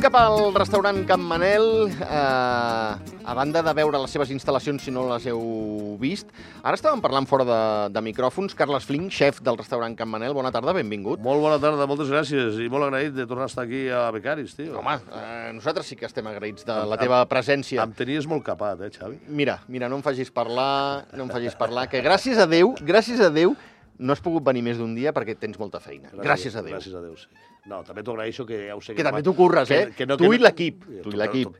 Cap al restaurant Can Manel, a banda de veure les seves instal·lacions, si no les heu vist. Ara estàvem parlant fora de micròfons. Carles Flink, xef del restaurant Can Manel, bona tarda, benvingut. Molt bona tarda, moltes gràcies, i molt agraït de tornar a estar aquí a Becaris, tio. Home, nosaltres sí que estem agraïts de la teva presència. Em tenies molt capat, Xavi? Mira, no em facis parlar, que gràcies a Déu, no has pogut venir més d'un dia perquè tens molta feina. Gràcies a Déu. Gràcies a Déu, sí. No, també t'ho agraeixo, que ja ho sé... Que també t'ho curres, Tu i l'equip.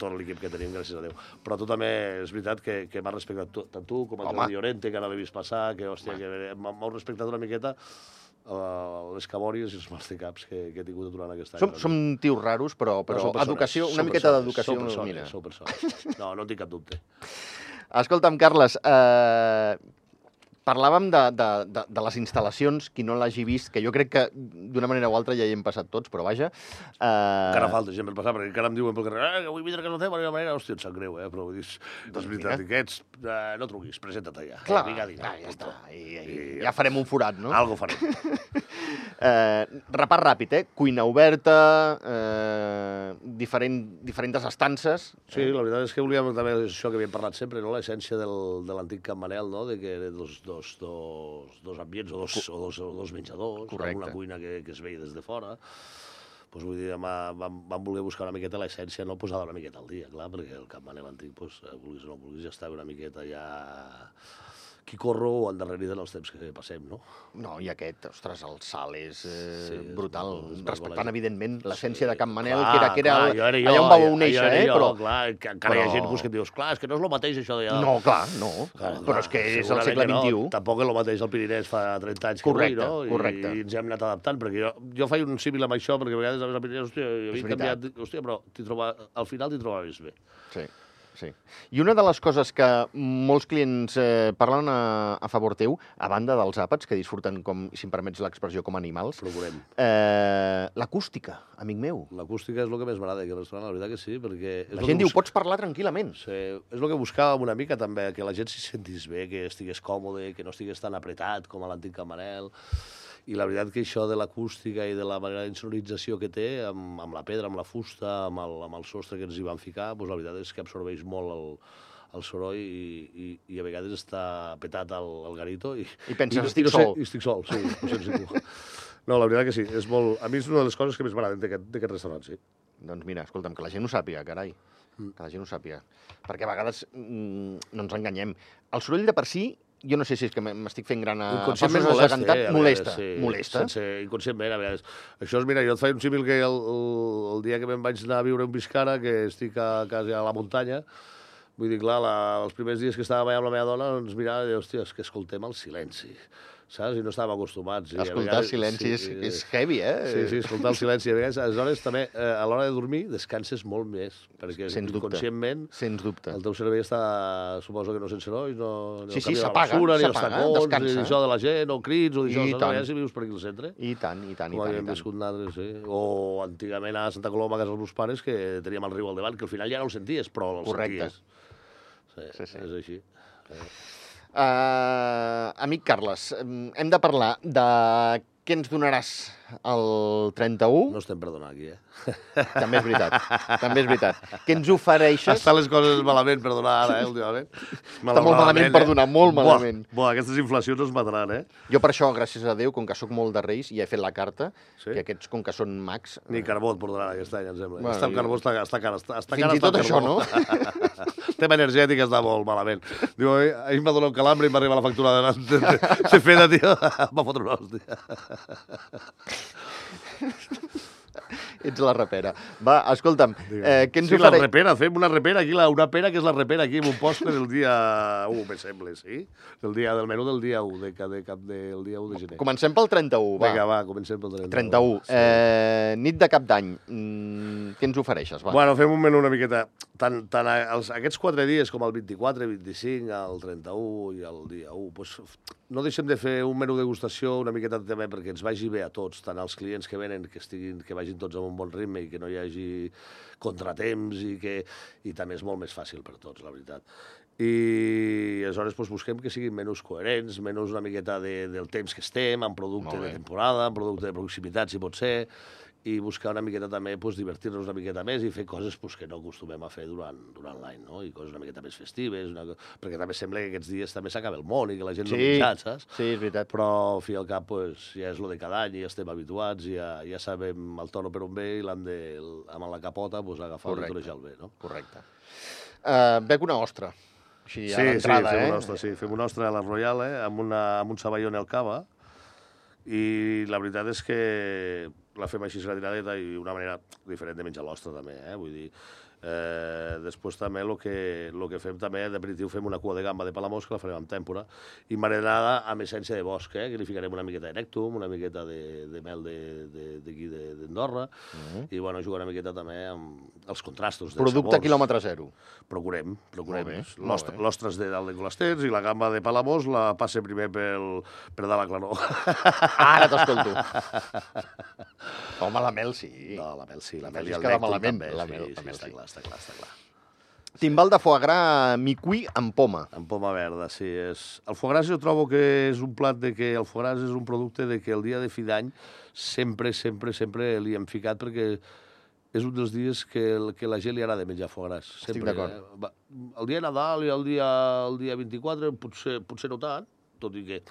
Tot l'equip que tenim, gràcies a Déu. Però tu també, és veritat, que m'has respectat tant tu com el Jordi Llorente, que ara l'he vist passar, que, hòstia, que m'heu respectat una miqueta les cabòries i els mastecaps que he tingut durant aquest any. Som tios raros, però educació, una miqueta d'educació... Sou persones. No en tinc cap dubte. Escolta'm, Carles, parlàvem de les instal·lacions, qui no l'hagi vist, que jo crec que d'una manera o altra ja hi hem passat tots, però vaja... Encara falta gent per passar, perquè encara em diuen pel carrer que vull vindre a casa teva, de manera, hòstia, em sap greu, però vull dir, és veritat, que ets... No truquis, presenta't allà. Clar, ja està, ja farem un forat, no? Algo farem. Repart ràpid, cuina oberta, diferents estances... Sí, la veritat és que volíem també això que havíem parlat sempre, l'essència de l'antic Can Manel, de que dos ambients o dos menjadors, una cuina que es veia des de fora. Doncs vull dir, vam voler buscar una miqueta l'essència, no posar una miqueta al dia, clar, perquè el Can Manel antic, vulguis o no vulguis, ja estava una miqueta ja... Qui corro o endarrerida en els temps que passem, no? No, i aquest, ostres, el salt és brutal, respectant, evidentment, l'essència de Can Manel, que era allà on vau néixer, però... Clar, encara hi ha gent que et dius, clar, és que no és el mateix això d'allà. No, clar, no, però és que és el segle XXI. Tampoc és el mateix el Pirinès fa 30 anys que avui, no? Correcte. I ens hem anat adaptant, perquè jo faig un símil amb això, perquè a vegades al Pirinès, hòstia, havia canviat, hòstia, però al final t'hi trobaves bé. Sí. Sí. I una de les coses que molts clients parlen a favor teu, a banda dels àpats, que disfruten, si em permets l'expressió, com animals... Procurem. L'acústica, amic meu. L'acústica és el que més m'agrada aquí al restaurant, la veritat que sí, perquè... La gent diu, pots parlar tranquil·lament. Sí, és el que buscàvem una mica, també, que la gent s'hi sentís bé, que estigués còmode, que no estigués tan apretat com a l'antic Can Manel. I la veritat que això de l'acústica i de la manera d'insonorització que té, amb la pedra, amb la fusta, amb el sostre que ens hi van ficar, doncs la veritat és que absorbeix molt el soroll i a vegades està petat el garito. I penses, estic sol. I estic sol, sí, ho sents ningú. No, la veritat que sí, és molt... A mi és una de les coses que més m'agraden d'aquest restaurant, sí. Doncs mira, escolta'm, que la gent ho sàpiga, carai. Que la gent ho sàpiga. Perquè a vegades no ens enganyem. El soroll de per si... Jo no sé si és que m'estic fent gran a passos desacantat. Molesta. Inconscientment, a vegades. Això és, mira, jo et faig un símil que el dia que me'n vaig anar a viure a Biscara, que estic quasi a la muntanya, vull dir, clar, els primers dies que estàvem allà amb la meva dona, ens mirava i deia, hòstia, és que escoltem el silenci. Saps? I no estàvem acostumats. Escoltar el silenci és heavy, Sí, escoltar el silenci. A vegades, aleshores, també, a l'hora de dormir, descanses molt més. Perquè inconscientment el teu cervell està, suposo que no sense sorolls, no s'apaga, ni els tacons, ni això de la gent, o crits, o això, ja si vius per aquí al centre. I tant. Com havíem viscut nosaltres, sí. O antigament a Santa Coloma, a casa dels meus pares, que teníem el riu al davant, que al final ja no el senties, però el senties. Sí, és així. Amic Carles, hem de parlar de què ens donaràs el 31. No estem per donar aquí, També és veritat. Què ens ofereixes? Estan les coses malament per donar ara, últimament. Està molt malament per donar, molt malament. Aquestes inflacions ens mataran, Jo per això, gràcies a Déu, com que sóc molt de Reis, ja he fet la carta, que aquests, com que són mags... Ni carbó et portaran aquest any, em sembla. El carbó està car. Fins i tot això, no? El tema energètic està molt malament. Diu, ahir em va donar un calambre i m'arriba la factura de feta, tio. Em va fotre una hòstia. Ets la repera. Va, escolta'm, què ens Sí, ofereix? la repera, fem una repera aquí, una pera que és la repera aquí, en un postre del dia 1, me sembla, sí? Del menú del dia 1, del dia 1 de gener. Comencem pel 31, va. Vinga, va, comencem pel 31. 31. Sí. Nit de cap d'any. Què ens ofereixes, va? Bueno, fem un menú una miqueta... Tant aquests 4 dies com el 24, 25, el 31 i el dia 1, doncs no deixem de fer un menú degustació una miqueta també perquè ens vagi bé a tots, tant als clients que venen, que vagin tots amb un bon ritme i que no hi hagi contratemps i també és molt més fàcil per tots, la veritat. I aleshores doncs, busquem que siguin menús coherents, menús una miqueta del temps que estem, amb producte de temporada, amb producte de proximitat, si pot ser, i buscar una miqueta també, doncs, divertir-nos una miqueta més i fer coses doncs, que no acostumem a fer durant l'any, no? I coses una miqueta més festives, perquè també sembla que aquests dies també s'acaba el món i que la gent no ha menjat, saps? Sí, és veritat. Però, al fi i al cap, doncs, ja és lo de cada any, ja estem habituats, ja sabem el tono per on ve i l'hem de, amb la capota, doncs, agafar-lo i torejar-lo bé, no? Correcte. Bec una ostra. Així, a Sí, l'entrada, fem una ostra, sí. Fem una ostra a la Royal, amb un sabaione al cava, i la veritat és que la fem així gratiradeta i una manera diferent de menjar l'ostra també, vull dir, després també el que fem també d'aperitiu fem una cua de gamba de Palamós que la farem amb tèmpora i marinada amb essència de bosc, que li ficarem una miqueta de nèctum, una miqueta de mel d'aquí d'Andorra i bueno, jugar una miqueta també amb els contrastos de Producte sabors. quilòmetre zero. Procurem. Molt bé. L'ostres de dalt de Colasters i la gamba de Palamós la passe primer per dalt a Claró. Ara t'escolto. Home, la mel sí. No, la mel sí. La mel mel i es el queda nèctum malament. també. La mel Està clar, està clar. Timbal de foie gras micuí amb poma. Amb poma verda, sí. El foie gras jo trobo que és un plat de que el foie gras és un producte de que el dia de fi d'any sempre li hem ficat perquè és un dels dies que la gent li agrada menjar foie gras. Estic d'acord. El dia de Nadal i el dia 24 potser no tant, tot i que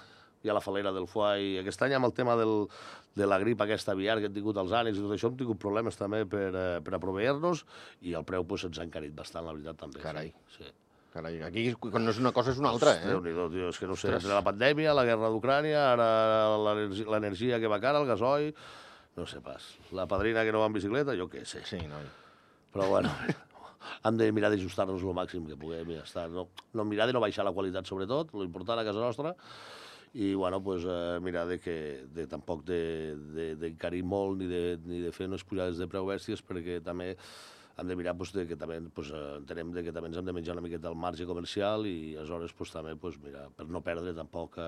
hi ha la falera del foie i aquest any amb el tema de la grip aquesta aviar que hem tingut als ànecs i tot això hem tingut problemes també per a proveir-nos i el preu ens ha encarit bastant, la veritat, també. Carai. Sí. Carai, aquí quan no és una cosa és una altra, Déu-n'hi-do, tio, és que no sé, entre la pandèmia, la guerra d'Ucrània, ara l'energia que va cara, el gasoil, no sé pas. La padrina que no va en bicicleta, jo què sé. Sí, noi. Però bueno, hem de mirar d'ajustar-nos el màxim que puguem i ja està. No mirar de no baixar la qualitat, sobretot, l'important a casa nostra, i bueno, pues, mirar tampoc d'encarir molt ni de fer unes pujades de preu bèsties perquè també hem de mirar que també entenem que també ens hem de menjar una miqueta el marge comercial i aleshores també mira, per no perdre tampoc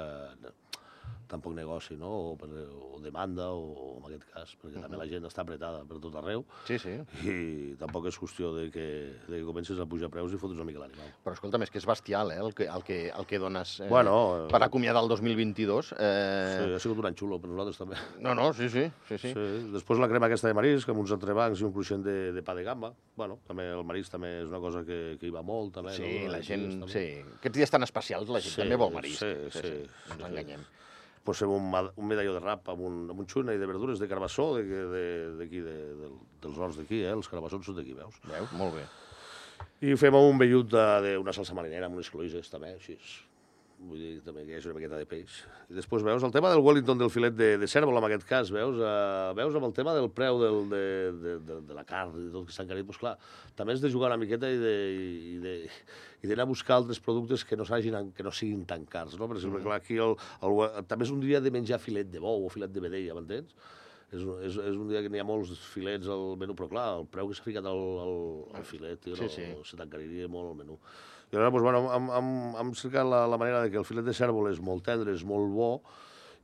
negoci, no? o demanda, o en aquest cas, perquè també la gent està apretada per tot arreu. Sí, sí. I tampoc és qüestió de que comences a pujar preus i fotres una mica l'animal. Però escolta'm, és que és bestial, el que dones per acomiadar el 2022. Sí, ha sigut un any xulo per nosaltres també. No, sí. Després la crema aquesta de marisc, amb uns entrebancs i un cruixent de pa de gamba. Bueno, també el marisc també és una cosa que hi va molt, també. Sí, no? la gent... Sí. Aquests dies tan especials la gent també vol marisc. Sí. No ens enganyem. Posem un medalló de rap amb un xuna i de verdures de carbassó d'aquí, dels horts d'aquí, els carbassons són d'aquí, veus? Veus? Molt bé. I fem un vellut d'una salsa marinera amb unes cloïses, també, així. Vull dir, també que hi hagi una miqueta de peix. I després, veus, el tema del Wellington del filet de cèrvol, en aquest cas, veus amb el tema del preu de la carn i tot que s'ha encarit, doncs clar, també has de jugar una miqueta i d'anar a buscar altres productes que no siguin tan cars, no? Per exemple, clar, aquí també és un dia de menjar filet de bou o filet de vedella, m'entens? És un dia que n'hi ha molts filets al menú, però clar, el preu que s'ha ficat al filet, tio, se t'encariria molt el menú. I aleshores, doncs, bueno, hem cercat la manera que el filet de cèrvol és molt tendre, és molt bo,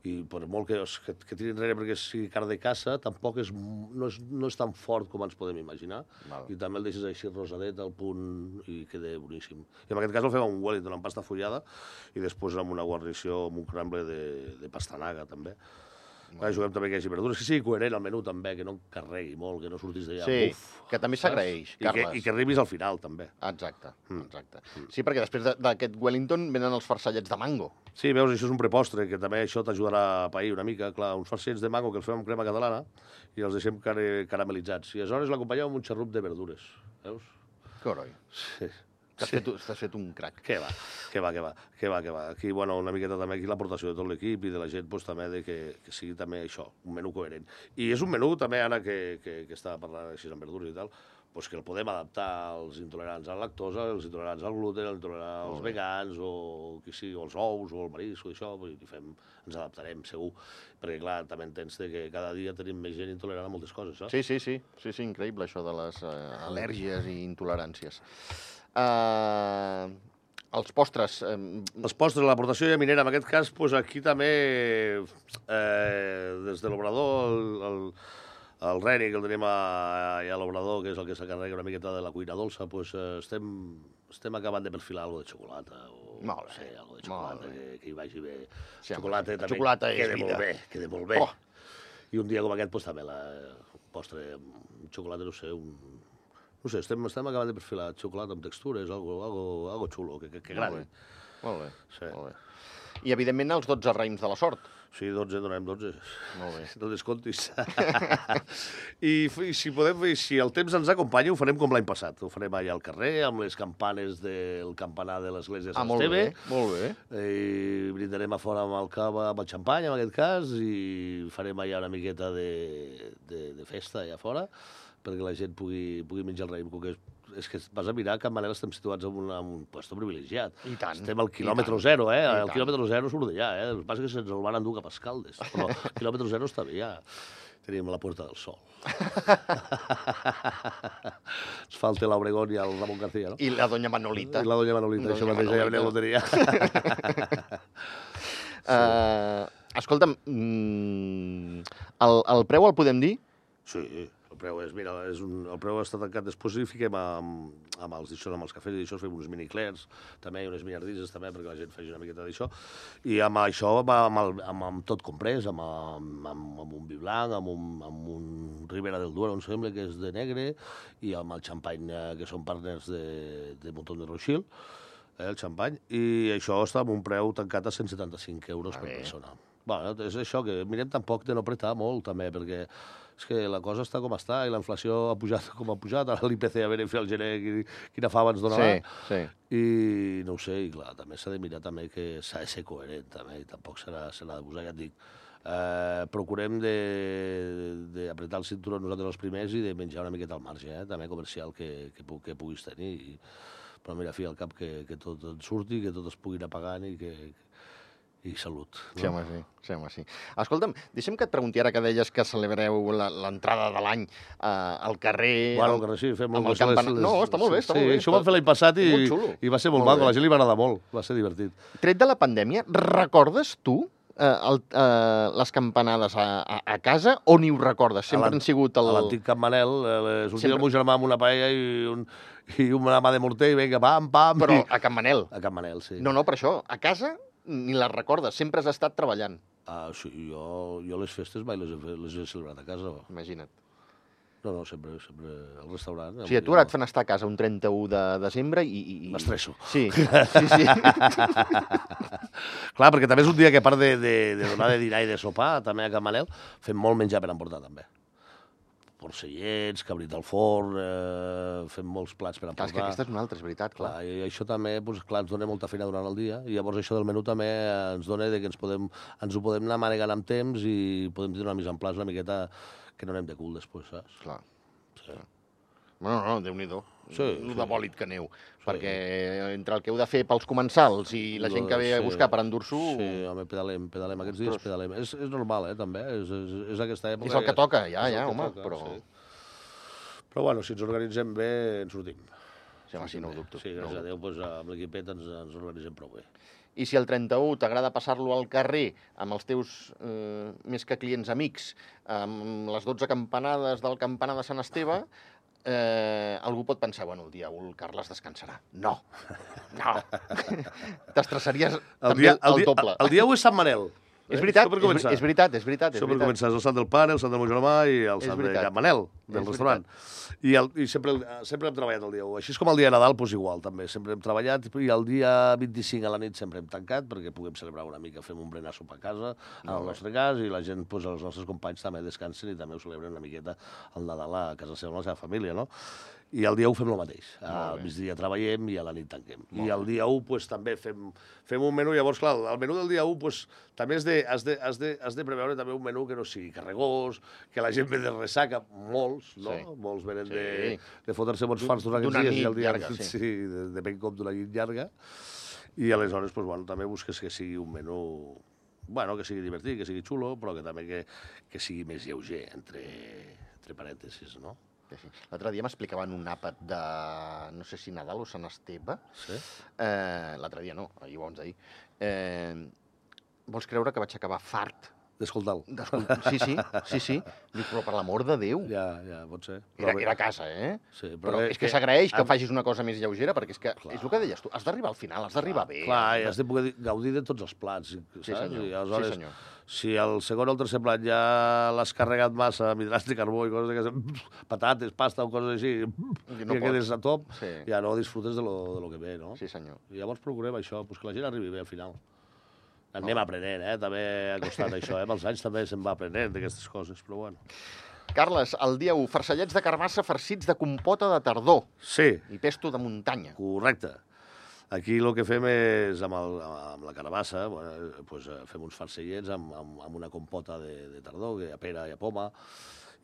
i per molt que tiri enrere perquè sigui carn de caça, tampoc no és tan fort com ens podem imaginar. I també el deixes així rosadet al punt i queda boníssim. I en aquest cas el fem amb un Wellington amb pasta fullada i després amb una guarnició amb un crumble de pastanaga, també. Juguem també que hi hagi verdures, que sigui coherent al menú també, que no carregui molt, que no surtis d'allà. Sí, que també s'agraeix, Carles. I que arribis al final, també. Exacte. Sí, perquè després d'aquest Wellington venen els farcellets de mango. Sí, veus, això és un prepostre, que també això t'ajudarà a pair una mica. Clar, uns farcellets de mango que els fem amb crema catalana i els deixem caramelitzats. I aleshores l'acompanyem amb un xarrup de verdures, veus? Que oroi. Sí. T'has fet un crac. Què va. Aquí, bueno, una miqueta també aquí l'aportació de tot l'equip i de la gent, doncs, també que sigui també això, un menú coherent. I és un menú també, ara que estava parlant així amb verdures i tal, doncs que el podem adaptar als intolerants a la lactosa, als intolerants al gluten, als vegans, o qui sigui, o els ous, o el marisc, o això, ens adaptarem, segur. Perquè, clar, també entens que cada dia tenim més gent intolerant a moltes coses, saps? Sí, increïble, això de les al·lèrgies i intoleràncies. Els postres... Els postres, l'aportació de minera, en aquest cas, doncs aquí també, des de l'obrador, el Reni, que el tenim a l'obrador, que és el que s'encarrega una miqueta de la cuina dolça, doncs estem acabant de perfilar alguna de xocolata, o no sé, alguna de xocolata que hi vagi bé. Xocolata també queda molt bé. I un dia com aquest, doncs també el postre amb xocolata, no sé, estem acabant de perfilar xocolata amb textures, algo xulo, que agradi. Molt bé. I, evidentment, els 12 raïms de la sort. Sí, 12, donem 12. Molt bé. No descomptis. I si el temps ens acompanya, ho farem com l'any passat. Ho farem allà al carrer, amb les campanes del campanar de l'església de Sant Esteve. Molt bé. I brindarem a fora amb el cava, amb el xampany, en aquest cas, i farem allà una miqueta de festa allà fora, perquè la gent pugui menjar el raïm, que és que vas a mirar, a Can Manel estem situats en un lloc privilegiat. I tant. Estem al quilòmetre zero, El quilòmetre zero surt d'allà, El que passa és que se'ns el van endur cap a Escaldes, però el quilòmetre zero està bé, ja. Tenim la Puerta del Sol. Ens falta l'Obregón i el Ramon García, no? I la doña Manolita. Això mateix, ja venia a loteria. Escolta'm, el preu el podem dir? Sí, el preu està tancat. Després hi fiquem amb els cafès i això, fem uns mini-clairs, també, unes miniardises, també, perquè la gent faci una miqueta d'això. I amb això, amb tot comprès, amb un vi blanc, amb un Ribera del Duero, em sembla que és de negre, i amb el xampany, que són partners de Montón de Rothschild, el xampany, i això està amb un preu tancat a 175 euros per persona. Bueno, és això, que mirem tampoc de no apretar molt, també, perquè és que la cosa està com està, i la inflació ha pujat com ha pujat, ara l'IPC a veure fer el gener quina fava ens donarà. Sí. I no ho sé, i clar, també s'ha de mirar també que s'ha de ser coherent, també, i tampoc se n'ha de posar, ja et dic. Procurem d'apretar el cinturó nosaltres els primers i de menjar una miqueta al marge, també comercial que puguis tenir. Però mira, fi al cap, que tot et surti, que tot es pugui anar pagant i salut. No? Sí, home, sí. Escolta'm, deixa'm que et pregunti ara que deies que celebreu l'entrada de l'any al carrer... Bueno, al carrer sí, fem molt bé. No, està molt bé, Sí, això ho vam fer l'any passat i va ser molt maco, a la gent li va agradar molt, va ser divertit. Tret de la pandèmia, recordes tu les campanades a casa o ni ho recordes? Sempre han sigut a l'antic Can Manel, sortia el meu germà amb una paella i una mà de morter i vinga, pam. Però a Can Manel? A Can Manel, sí. No, per això, a casa ni les recordes, sempre has estat treballant. Sí, jo les festes mai les he celebrat a casa. Imagina't. No, sempre al restaurant. O sigui, a tu ara et fan estar a casa un 31 de desembre i... M'estresso. Sí. Clar, perquè també és un dia que a part de donar de dinar i de sopar, també a Can Manel, fem molt menjar per emportar, també. Porcellets, cabrit al forn, fem molts plats per emportar. Clar, és que aquesta és una altra, és veritat, clar. I això també, clar, ens dona molta feina durant el dia, i llavors això del menú també ens dona que ens ho podem anar manegant amb temps i podem tenir una mise en place una miqueta que no anem de cul després, saps? Clar. Sí. No, Déu-n'hi-do. Sí. El de bòlit que aneu. Perquè entre el que heu de fer pels comensals i la gent que ve a buscar per endur-s'ho... Sí, home, pedalem. Aquests dies pedalem. És normal, també. És aquesta època... És el que toca, ja, home, però... Però, bueno, si ens organitzem bé, ens sortim. Sí, home, sí, no ho dubto. Sí, gràcies a Déu, amb l'equipet ens organitzem prou bé. I si el 31 t'agrada passar-lo al carrer amb els teus més que clients amics, amb les 12 campanades del campanar de Sant Esteve, algú pot pensar, bueno, el dia 1 el Carles descansarà. No. T'estressaries també el doble. El dia 1 és Sant Manel. És veritat. Això per començar, és el sant del pare, el sant del meu germà i el sant de Can Manel, del restaurant. I sempre hem treballat el dia 1. Així com el dia de Nadal, doncs igual, també. Sempre hem treballat i el dia 25 a la nit sempre hem tancat perquè puguem celebrar una mica, fem un berenar sopar a casa, en el nostre cas, i la gent, els nostres companys també descansen i també ho celebren una miqueta el Nadal a casa seva, amb la seva família, no? I el dia 1 fem el mateix. Al migdia treballem i a la nit tanquem. I el dia 1 pues, també fem un menú. Llavors, clar, el menú del dia 1 pues, també has de preveure també un menú que no sigui carregós, que la gent ve de ressaca, molts, no? Sí. Molts venen de fotre-se bons farts durant aquests dies. I el dia llarga, sí. Depèn com d'una nit llarga. I aleshores, pues, bueno, també busques que sigui un menú... Bueno, que sigui divertit, que sigui xulo, però que també que sigui més lleuger, entre parèntesis, no? Sí. L'altre dia m'explicaven un àpat de, no sé si Nadal o Sant Esteve. Sí? L'altre dia no, ahir abans d'ahir. Vols creure que vaig acabar fart? D'escoltar-lo. Sí. Dic, però per l'amor de Déu. Ja, pot ser. Era a casa, Sí, però és que s'agraeix que facis una cosa més lleugera, perquè és que és el que deies tu, has d'arribar al final, has d'arribar bé. Clar, i has de poder gaudir de tots els plats, saps? Sí, senyor. I aleshores, si el segon o el tercer plat ja l'has carregat massa amb hidrats de carbó i coses d'aquestes, patates, pasta o coses així, que quedes a top, ja no disfrutes de lo que ve, no? Sí, senyor. I llavors procurem això, que la gent arribi bé al final. Anem aprenent, també ha costat això, amb els anys també se'n va aprenent d'aquestes coses, però bueno. Carles, el dia 1, farcellets de carbassa farcits de compota de tardor. Sí. I pesto de muntanya. Correcte. Aquí el que fem és, amb la carbassa, pues, fem uns farcellets amb una compota de tardor, a pera i a poma,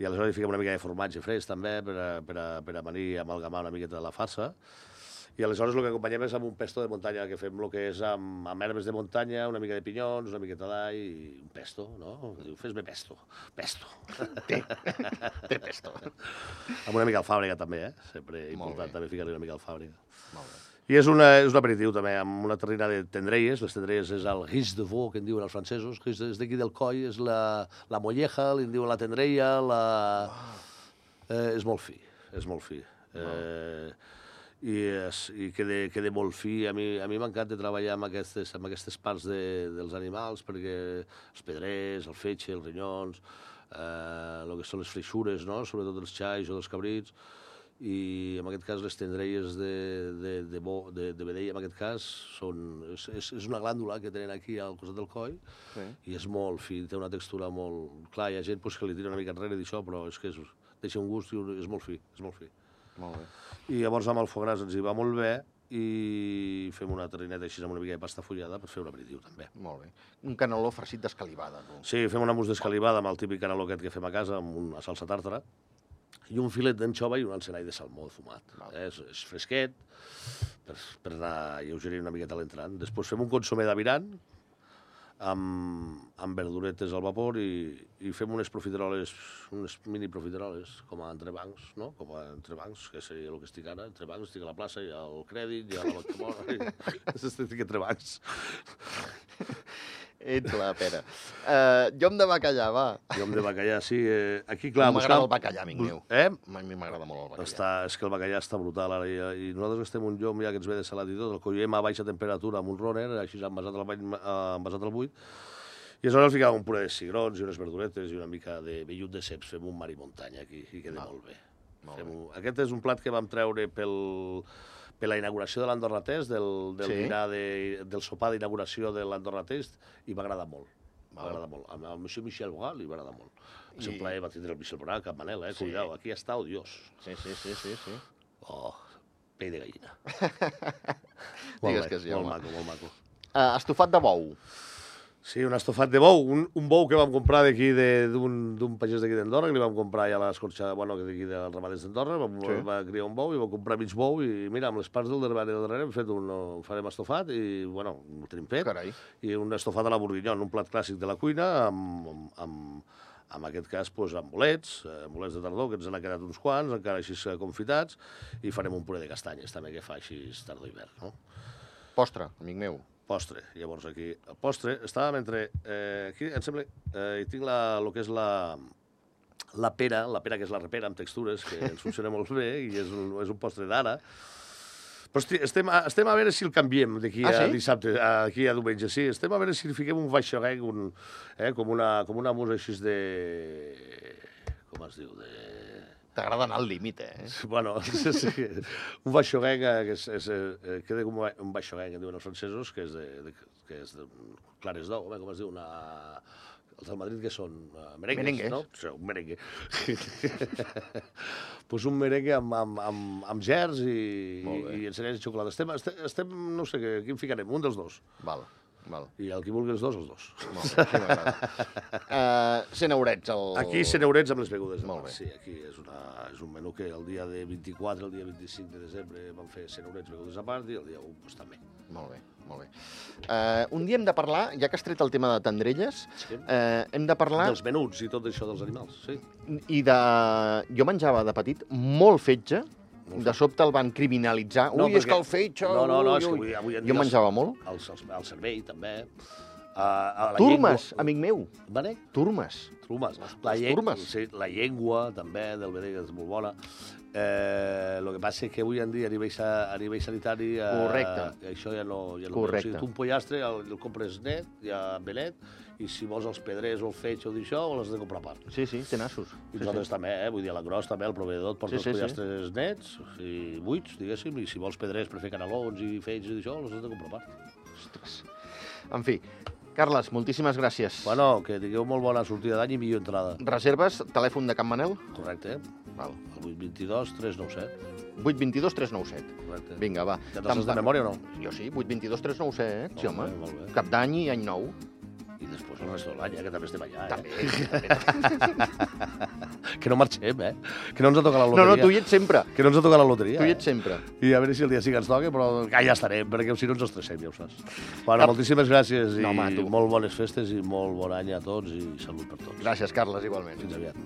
i aleshores hi fiquem una mica de formatge fresc també, per amanir i amalgamar una miqueta de la farsa. I aleshores el que acompanyem és amb un pesto de muntanya, que fem el que és amb herbes de muntanya, una mica de pinyons, una miqueta d'all i un pesto, no? Diu, fes-me pesto. Pesto. Té pesto. Amb una mica alfàbrega també, Sempre important també ficar-li una mica alfàbrega. Molt bé. I és un aperitiu també, amb una terrina de tendrelles. Les tendrelles és el ris de veau, que en diuen els francesos. Ris és d'aquí del coll, és la molleja, li en diuen la tendrella, és molt fi, és molt fi. I queda molt fi. A mi m'encanta treballar amb aquestes parts dels animals, perquè els pedrers, el fetge, els rinyons, el que són les freixures, no? Sobretot els xais o dels cabrits, i en aquest cas les tendrelles de vedella, en aquest cas, és una glàndula que tenen aquí al costat del coll, i és molt fi, té una textura molt... Clar, hi ha gent que li tira una mica enrere d'això, però és que deixa un gust i és molt fi, és molt fi. Molt bé. I llavors amb el foie gras ens hi va molt bé, i fem una terrineta així amb una mica de pasta fullada per fer un aperitiu també. Molt bé. Un caneló farcit d'escalivada, tu. Sí, fem una mousse d'escalivada amb el típic caneló aquest que fem a casa, amb una salsa tàrtara, i un filet d'anxova i un encenall de salmó fumat. És fresquet, per anar lleugerint una miqueta a l'entrant. Després fem un consomé d'aviran, amb verduretes al vapor, i fem unes profiteroles, unes mini profiteroles, com a entrebancs, no? Com a entrebancs, que seria el que estic ara. Entrebancs, estic a la plaça, hi ha el crèdit, hi ha la Bacamora, estic entrebancs. Ets la pera. Llom de bacallà, va. Llom de bacallà, sí. Aquí, clar... M'agrada el bacallà, amic meu. A mi m'agrada molt el bacallà. És que el bacallà està brutal ara, i nosaltres gastem un llom ja que ens ve de salat i tot, el collem a baixa temperatura amb un roner, així envasat al buit, i aleshores ficàvem un puré de cigrons i unes verduretes i una mica de vellut de ceps. Fem un mar i muntanya aquí, i queda molt bé. Aquest és un plat que vam treure per la inauguració de l'Andorra Test, del sopar d'inauguració de l'Andorra Test, i m'agrada molt. M'agrada molt. Al monsieur Michel Bogal li m'agrada molt. És un plaer, va tindre el Michel Bogal, Cap Manel, cuidao, aquí està odiós. Sí. Oh, pell de gallina. Digues que sí, home. Molt maco, molt maco. Estofat de bou. Sí, un estofat de bou, un bou que vam comprar d'aquí, d'un pagès d'aquí d'Andorra, que li vam comprar ja a l'escorxa, d'aquí dels ramaders d'Andorra, va criar un bou i vam comprar mig bou, i mira, amb les parts del darrere hem fet farem estofat, i bueno, ho tenim fet. Carai. I un estofat a la bourguignon, un plat clàssic de la cuina, en aquest cas, amb bolets de tardor, que ens han quedat uns quants, encara així confitats, i farem un puré de castanyes, també, que fa així tardor-hivern, no? Postre, amic meu. Postre. Llavors aquí, el postre, estàvem entre... Aquí, em sembla, hi tinc el que és la pera, que és la repera amb textures, que ens funciona molt bé, i és un postre d'ara. Però estem a veure si el canviem d'aquí a dissabte, aquí a diumenge. Sí, estem a veure si li fiquem un vaixoguenc, com una musa així de... Com es diu? T'agrada anar al límit, Bueno, sí. Un vaixoguenc, queda com un vaixoguenc, que diuen els francesos, que és de clares d'ou, com es diu? Els del Madrid, que són merengues, Merengues. no? Sí, un merengue. Pues un merengue amb gerds i encenyers de xocolata. Estem, no sé, quin ficarem? Un dels dos. Val. I el qui vulgui els dos, els dos. Molt bé, sí m'agrada. 100 eurets. Aquí 100 eurets amb les begudes. Molt bé. Sí, aquí és un menú que el dia de 24, el dia 25 de desembre vam fer 100 eurets begudes a part i el dia 1 pues, també. Molt bé. Un dia hem de parlar, ja que has tret el tema de tendrelles, hem de parlar... Dels menuts i tot això dels animals, sí. I de... Jo menjava de petit molt fetge, de sobte el van criminalitzar. No, és que el fetge... No, és que avui en dia... Jo menjava molt. El cervell, també. Turmes, amic meu. Vale? Turmes. La llengua, també, del vedell, és molt bona. El que passa és que avui en dia, a nivell sanitari, això ja no... Correcte. O sigui, tu un pollastre el compres net, ja benet, i si vols els pedrers o el fetge o d'això, l'has de comprar a part. Sí, té nassos. I nosaltres també, vull dir, a l'engròs també, el proveïdor et porta els pollastres nets i buits, diguéssim, i si vols pedrers per fer canelons i fetge i d'això, els has de comprar a part. Ostres. En fi, Carles, moltíssimes gràcies. Bueno, que tingueu molt bona sortida d'any i millor entrada. Reserves, telèfon de Can Manel? Correcte. Val. El 822 397. 822 397. Correcte. Vinga, va. Ja te'ls has de memòria o no? Jo sí, 822 397, sí, home. Molt bé. Cap d'any i any nou. I després el resto de l'any, que també estem allà. També. Que no marxem, Que no ens ha tocat la loteria. No, tu hi ets sempre. Que no ens ha tocat la loteria. Tu hi ets sempre. I a veure si el dia sí que ens toca, però ja estarem, perquè si no ens estressem, ja ho saps. Bueno, moltíssimes gràcies i molt bones festes i molt bon any a tots i salut per tots. Gràcies, Carles, igualment. Fins aviat.